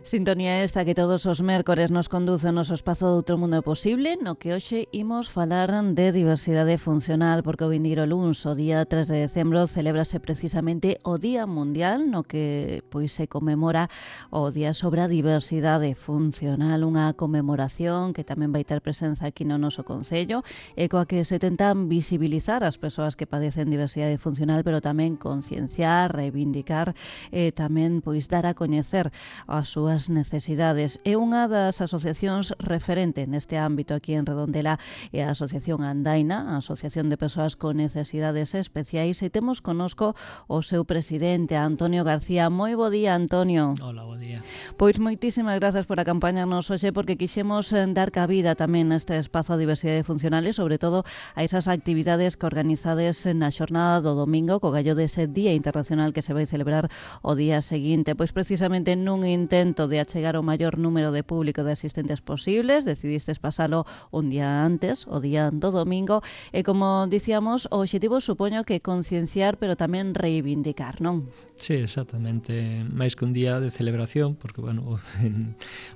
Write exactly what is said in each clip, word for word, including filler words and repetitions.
Sintonía esta que todos os mércores nos conduce ao noso espazo de Outro Mundo Posible, no que hoxe imos falar de diversidade funcional, porque o vindeiro luns, o día tres de decembro, celébrase precisamente o Día Mundial, no que pois se conmemora o Día sobre a Diversidade Funcional, unha conmemoración que tamén vai ter presenza aquí no noso Concello, e coa que se tentan visibilizar as persoas que padecen diversidade funcional, pero tamén concienciar, reivindicar e tamén pois dar a coñecer as súas necesidades. É unha das asociacións referente neste ámbito aquí en Redondela, é a Asociación Andaina, a Asociación de Persoas con Necesidades Especiais, e temos conosco o seu presidente, Antonio García. Moi bo día, Antonio. Hola, bo día. Pois moitísimas grazas por acompañarnos hoxe, porque quixemos dar cabida tamén neste espazo a diversidade funcional e, sobre todo, a esas actividades que organizades na xornada do domingo, co gallo dese Día Internacional que se vai celebrar o día seguinte. Pois precisamente nun intento de achegar o maior número de público de asistentes posibles, decidistes pasalo un día antes, o día do domingo, e como dicíamos, o obxectivo supoño que concienciar, pero tamén reivindicar, non? Sí, exactamente, máis que un día de celebración, porque, bueno,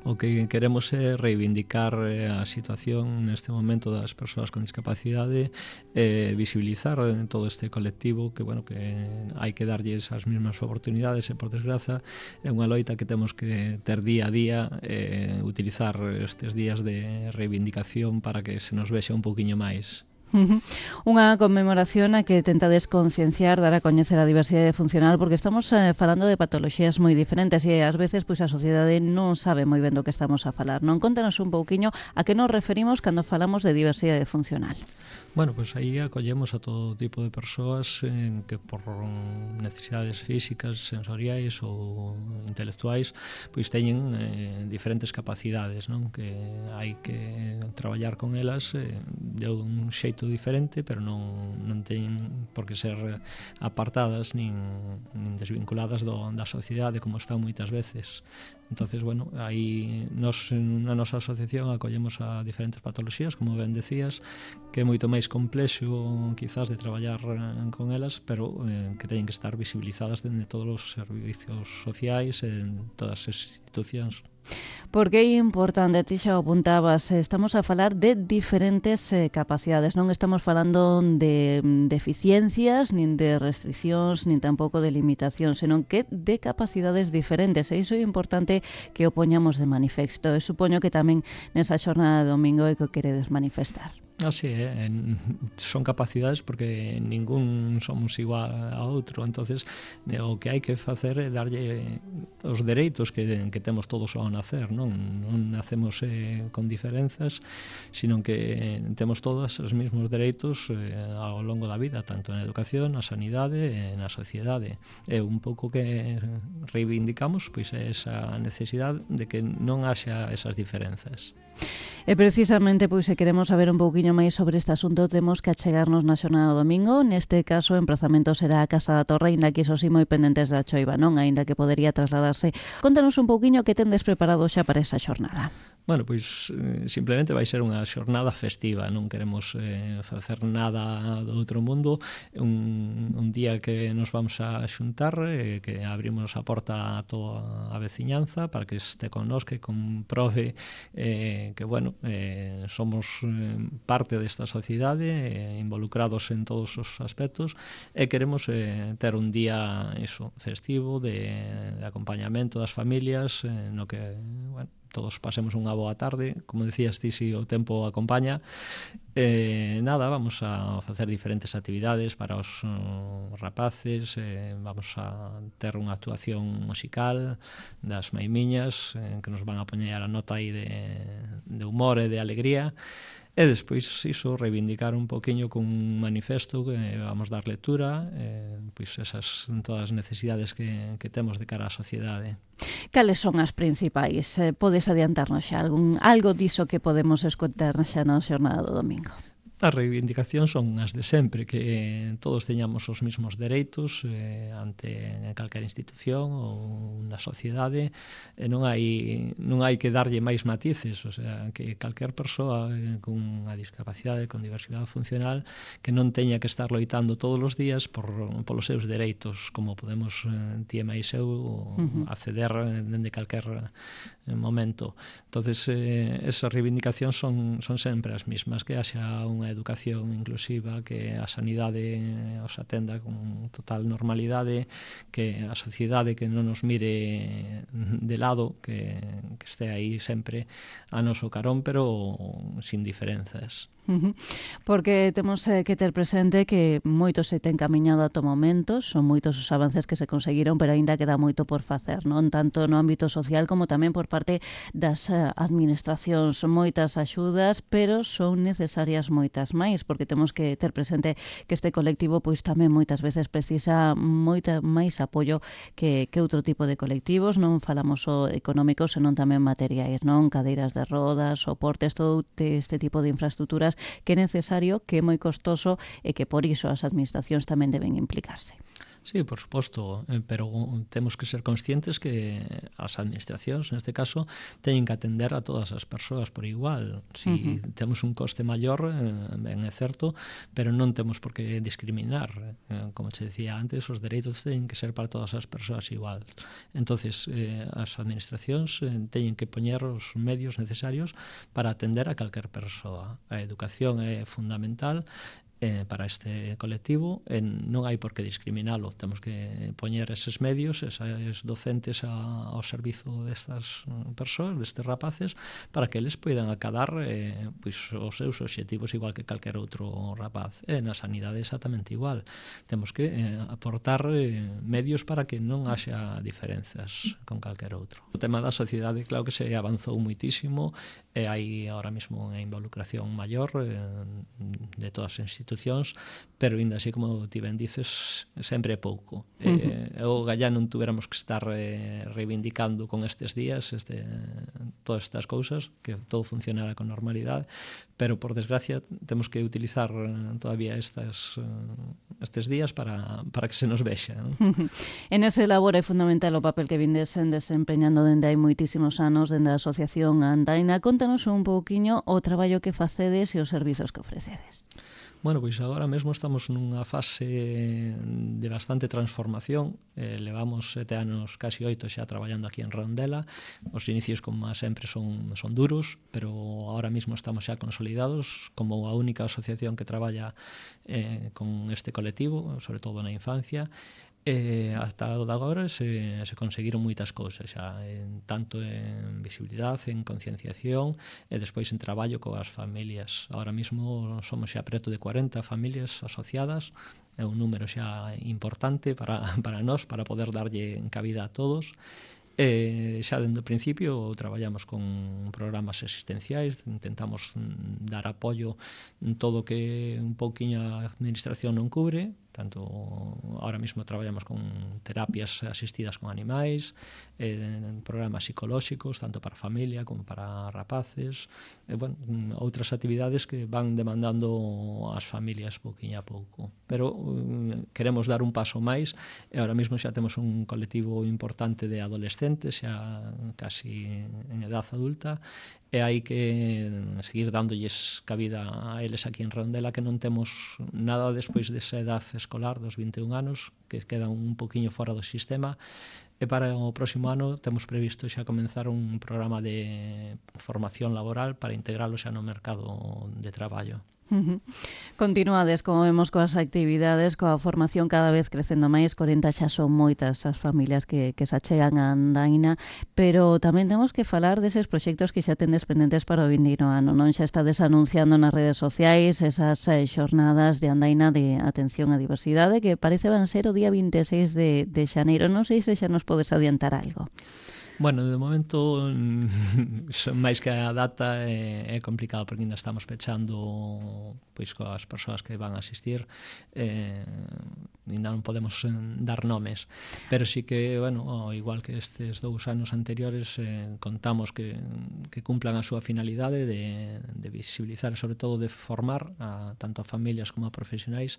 o que queremos é reivindicar a situación neste momento das persoas con discapacidade, e visibilizar todo este colectivo que, bueno, que hai que darlles as mesmas oportunidades, e, por desgraza, é unha loita que temos que ter día a día, eh, utilizar estes días de reivindicación para que se nos vexa un pouquiño máis. Uh-huh. Unha conmemoración a que tenta desconcienciar, dar a coñecer a diversidade funcional, porque estamos eh, falando de patoloxías moi diferentes e ás veces pois a sociedade non sabe moi ben do que estamos a falar, non? Contanos un pouquiño a que nos referimos cando falamos de diversidade funcional. Bueno, pois pues aí acollemos a todo tipo de persoas eh, que por necesidades físicas, sensoriais ou intelectuais pois teñen eh, diferentes capacidades, non? Que hai que traballar con elas eh, de un xeito diferente, pero non, non teñen por que ser apartadas nin, nin desvinculadas do, da sociedade como están moitas veces. Entonces, bueno, aí nos, na nosa asociación acollemos a diferentes patoloxías, como ben decías, que é moito máis complexo quizás de traballar con elas, pero eh, que teñen que estar visibilizadas dende todos os servicios sociais e en todas as institucións. Porque é importante, ti xa o apuntabas, estamos a falar de diferentes eh, capacidades, non estamos falando de deficiencias, nin de restriccións, nin tampouco de limitacións, senón que de capacidades diferentes, e iso é importante que o poñamos de manifesto. E supoño que tamén nesa xornada de domingo é que o queredes manifestar. Así é, eh? Son capacidades porque ningún somos igual a outro, entonces o que hai que facer é darlle os dereitos que, que temos todos ao nacer, non? Non nacemos eh, con diferenzas, sino que temos todos os mesmos dereitos eh, ao longo da vida, tanto na educación, na sanidade e na sociedade. É un pouco que reivindicamos pois esa necesidade de que non haxa esas diferenzas. E precisamente, pois, se queremos saber un pouquiño máis sobre este asunto, temos que achegarnos na xornada do domingo. Neste caso, o emprazamento será a Casa da Torre, aínda que iso sí moi pendentes da choiva, non? Aínda que podería trasladarse. Contanos un pouquiño que tendes preparado xa para esa xornada. Bueno, pois simplemente vai ser unha xornada festiva, non queremos eh, facer nada do outro mundo, un, un día que nos vamos a xuntar, eh, que abrimos a porta a toda a veciñanza para que este connosco, que comprove eh, que, bueno, eh, somos eh, parte desta sociedade, eh, involucrados en todos os aspectos, e queremos eh, ter un día iso, festivo, de, de acompañamento das familias, eh, no que, bueno, todos pasemos unha boa tarde, como decías ti, si o tempo acompaña. Eh, nada, vamos a facer diferentes actividades para os uh, rapaces, eh, vamos a ter unha actuación musical das maimiñas, eh, que nos van a poñer a nota aí de, de humor e de alegría. E despois iso, reivindicar un poquinho con un manifesto que vamos dar lectura, eh, pois esas todas as necesidades que, que temos de cara á sociedade. Cales son as principais? Eh, podes adiantarnos xa algún, algo diso que podemos escoitar xa na xornada do domingo? As reivindicacións son as de sempre, que todos teñamos os mesmos dereitos eh, ante calquera institución ou na sociedade, e non hai non hai que darlle máis matices, o sea, que calquer persoa eh, con unha discapacidade, con diversidade funcional, que non teña que estar loitando todos os días por polos seus dereitos, como podemos eh, ti e máis eu uh-huh. acceder dende calquer momento. Entonces, eh, esas reivindicacións son, son sempre as mismas, que haxa unha educación inclusiva, que a sanidade os atenda con total normalidade, que a sociedade que non nos mire de lado, que, que este aí sempre a noso carón, pero sin diferenzas. Uh-huh. Porque temos eh, que ter presente que moito se ten camiñado ata o momento, son moitos os avances que se conseguiron, pero aínda queda moito por facer, non? Tanto no ámbito social como tamén por parte das eh, administracións. Son moitas axudas, pero son necesarias moitas máis, porque temos que ter presente que este colectivo pois tamén moitas veces precisa moita máis apoio que, que outro tipo de colectivos. Non falamos só económicos, senón tamén materiais, non? Cadeiras de rodas, soportes, todo este tipo de infraestructuras que é necesario, que é moi costoso e que por iso as administracións tamén deben implicarse. Sí, por suposto, pero temos que ser conscientes que as administracións, neste caso, teñen que atender a todas as persoas por igual. Si uh-huh. temos un coste maior, ben é certo, pero non temos por que discriminar. Como che decía antes, os dereitos teñen que ser para todas as persoas igual. Entonces, eh, as administracións eh, teñen que poñer os medios necesarios para atender a calquer persoa. A educación é fundamental Eh, para este colectivo, eh, non hai por que discriminalo, temos que poñer eses medios, eses docentes a, ao servizo destas persoas, destes rapaces, para que eles poidan acadar eh, pois, os seus obxectivos igual que calquer outro rapaz. E na sanidade exactamente igual, temos que eh, aportar eh, medios para que non haxa diferenzas con calquer outro. O tema da sociedade, claro que se avanzou muitísimo, e hai ahora mesmo unha involucración maior eh, de todas as institucións, pero ainda así, como ti ben dices, sempre é pouco. Uh-huh. Eh, o gallá non tuveramos que estar eh, reivindicando con estes días este, todas estas cousas, que todo funcionara con normalidade, pero por desgracia temos que utilizar todavía estas, estes días para, para que se nos vexa, non? Uh-huh. En ese labor é fundamental o papel que vindesen desempeñando dende hai moitísimos anos dende a Asociación Andaina. Contanos un pouquiño o traballo que facedes e os servizos que ofrecedes. Bueno, pois agora mesmo estamos nunha fase de bastante transformación. Eh, levamos sete anos, casi oito xa traballando aquí en Redondela. Os inicios, como sempre, son, son duros, pero agora mesmo estamos xa consolidados como a única asociación que traballa eh, con este colectivo, sobre todo na infancia. E hasta agora se, se conseguiron moitas cousas xa, en, tanto en visibilidade, en concienciación e despois en traballo coas familias. Agora mesmo somos xa preto de cuarenta familias asociadas, é un número xa importante para, para nós, para poder darlle cabida a todos. E xa dende o principio traballamos con programas existenciais, intentamos dar apoio en todo o que un pouquiño a administración non cubre, tanto ahora mesmo traballamos con terapias asistidas con animais, en programas psicolóxicos, tanto para familia como para rapaces, e, bueno, outras actividades que van demandando as familias pouquiño a pouco. Pero um, queremos dar un paso máis, e ahora mesmo xa temos un colectivo importante de adolescentes, xa casi en edad adulta, e hai que seguir dándolles cabida a eles aquí en Redondela, que non temos nada despois desa edad escolar dos vinte e un anos, que quedan un poquinho fora do sistema, e para o próximo ano temos previsto xa comenzar un programa de formación laboral para integralo xa no mercado de traballo. Uh-huh. Continuades, como vemos, coas actividades, coa formación cada vez crecendo máis. corenta xa son moitas as familias que, que se achegan a Andaina, pero tamén temos que falar deses proxectos que xa tendes pendentes para o vindeiro ano, non? Xa estades anunciando nas redes sociais esas eh, xornadas de Andaina de atención á diversidade, que parece van ser o día vinte e seis de, de xaneiro. Non sei se xa nos podes adiantar algo. Bueno, de momento, máis que a data é, é complicado, porque ainda estamos pechando pois coas persoas que van a asistir. Eh, ainda non podemos eh, dar nomes, pero sí que, bueno, ao igual que estes dous anos anteriores, eh, contamos que, que cumplan a súa finalidade de, de visibilizar, sobre todo de formar a, tanto a familias como a profesionais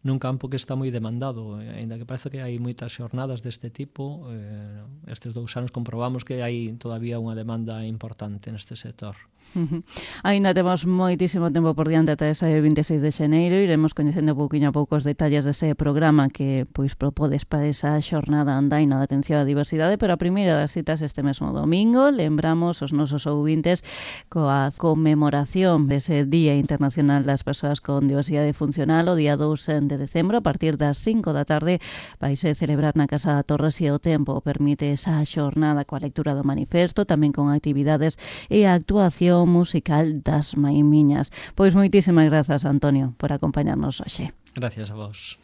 nun campo que está moi demandado, ainda que parece que hai moitas xornadas deste tipo, eh, estes dous anos comprobamos que hai todavía unha demanda importante neste sector. Uh-huh. Ainda temos moitísimo tempo por diante ata ese vinte e seis de xaneiro, iremos coñecendo pouquiño a pouco os detalles dese programa que pois propodes para esa xornada andaina de atención á diversidade, pero a primeira das citas este mesmo domingo. Lembramos os nosos ouvintes coa conmemoración dese Día Internacional das Persoas con Diversidade Funcional o día dous de decembro a partir das cinco da tarde vaise celebrar na Casa da Torre, se o tempo permite, esa xornada coa lectura do manifesto, tamén con actividades e a actuación musical das Maimiñas. Pois moitísimas grazas, Antonio, por acompañarnos hoxe. Gracias a vos.